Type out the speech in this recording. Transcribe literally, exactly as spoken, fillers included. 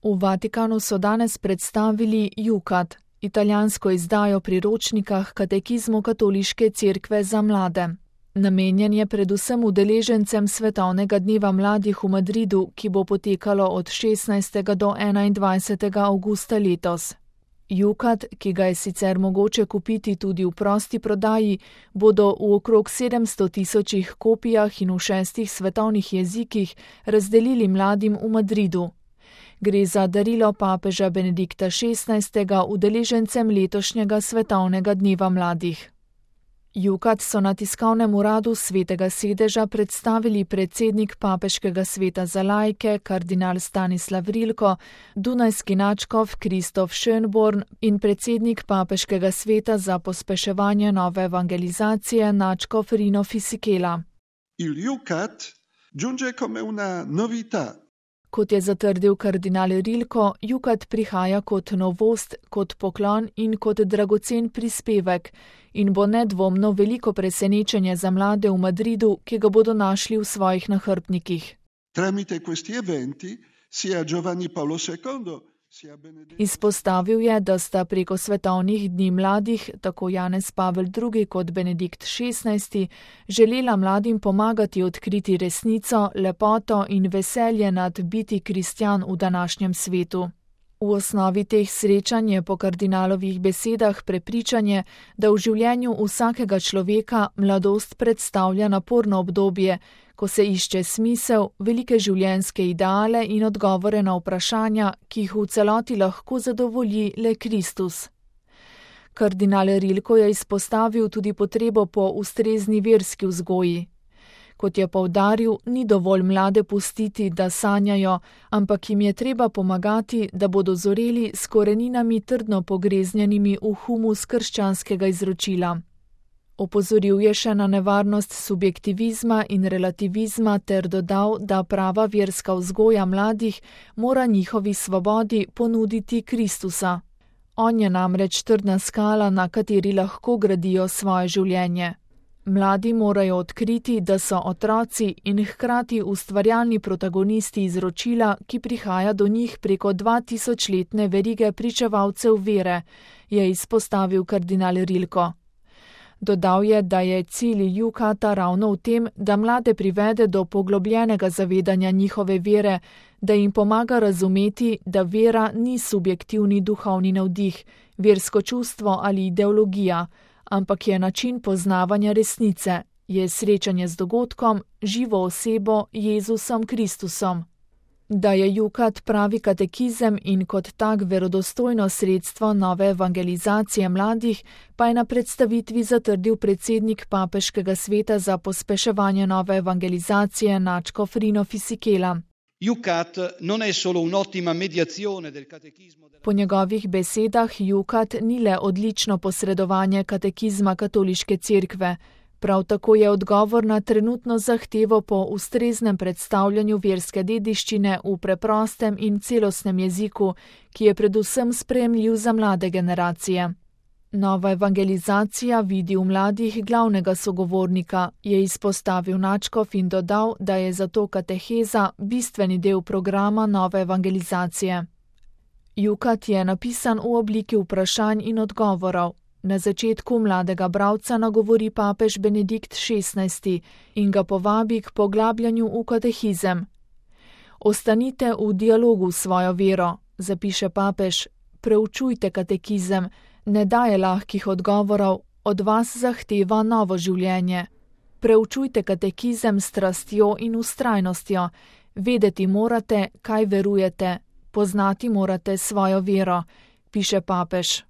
V Vatikanu so danes predstavili Jukat, italijansko izdajo priročnika h katekizmu Katoliške cerkve za mlade. Namenjen je predvsem udeležencem Svetovnega dneva mladih v Madridu, ki bo potekalo od šestnajstega do enaindvajsetega avgusta letos. Jukat, ki ga je sicer mogoče kupiti tudi v prosti prodaji, bodo v okrog sedemsto tisočih kopijah in v šestih svetovnih jezikih razdelili mladim v Madridu. Gre za darilo papeža Benedikta šestnajstega udeležencem letošnjega Svetovnega dneva mladih. Jukat so na tiskovnem uradu Svetega sedeža predstavili predsednik Papeškega sveta za laike kardinal Stanislav Rilko, dunajski nadškof Kristof Schönborn in predsednik Papeškega sveta za pospeševanje nove evangelizacije nadškof Rino Fisichella. Il Jukat giunge come una novità. Kot je zatrdil kardinal Rilko, Jukat prihaja kot novost, kot poklon in kot dragocen prispevek in bo nedvomno veliko presenečenje za mlade v Madridu, ki ga bodo našli v svojih nahrbtnikih. Tramite questi eventi sia Giovanni Paolo secondo sia Benedetto. Izpostavil je, da sta preko svetovnih dni mladih, tako Janez Pavel drugi kot Benedikt šestnajsti, želela mladim pomagati odkriti resnico, lepoto in veselje nad biti kristjan v današnjem svetu. V osnovi teh srečanj je po kardinalovih besedah prepričanje, da v življenju vsakega človeka mladost predstavlja naporno obdobje, ko se išče smisel, velike življenjske ideale in odgovore na vprašanja, ki jih v celoti lahko zadovolji le Kristus. Kardinal Rilko je izpostavil tudi potrebo po ustrezni verski vzgoji. Kot je poudaril, ni dovolj mlade pustiti, da sanjajo, ampak jim je treba pomagati, da bodo zoreli s koreninami trdno pogreznjenimi v humus krščanskega izročila. Opozoril je še na nevarnost subjektivizma in relativizma ter dodal, da prava verska vzgoja mladih mora njihovi svobodi ponuditi Kristusa. On je namreč trdna skala, na kateri lahko gradijo svoje življenje. Mladi morajo odkriti, da so otroci in hkrati ustvarjalni protagonisti izročila, ki prihaja do njih preko dvatisočletne verige pričevalcev vere, je izpostavil kardinal Rilko. Dodal je, da je cilj Jukata ravno v tem, da mlade privede do poglobljenega zavedanja njihove vere, da jim pomaga razumeti, da vera ni subjektivni duhovni navdih, versko čustvo ali ideologija, ampak je način poznavanja resnice, je srečanje z dogodkom, živo osebo Jezusom Kristusom. Da je Jukat pravi katekizem in kot tak verodostojno sredstvo nove evangelizacije mladih, pa je na predstavitvi zatrdil predsednik Papeškega sveta za pospeševanje nove evangelizacije nadškof Rino Fisichella. Jukat non è solo un'ottima mediazione del catechismo. Po njegovih besedah Jukat ni le odlično posredovanje katekizma Katoliške cerkve, prav tako je odgovor na trenutno zahtevo po ustreznem predstavljanju verske dediščine v preprostem in celostnem jeziku, ki je predvsem sprejemljiv za mlade generacije. Nova evangelizacija vidi v mladih glavnega sogovornika, je izpostavil nadškof in dodal, da je zato kateheza bistveni del programa nove evangelizacije. Jukat je napisan v obliki vprašanj in odgovorov. Na začetku mladega bralca nagovori papež Benedikt šestnajsti in ga povabi k poglabljanju v katehizem. Ostanite v dialogu s svojo vero, zapiše papež, preučujte katekizem, ne daje lahkih odgovorov, od vas zahteva novo življenje. Preučujte katekizem s strastjo in vztrajnostjo, vedeti morate, kaj verujete, poznati morate svojo vero, piše papež.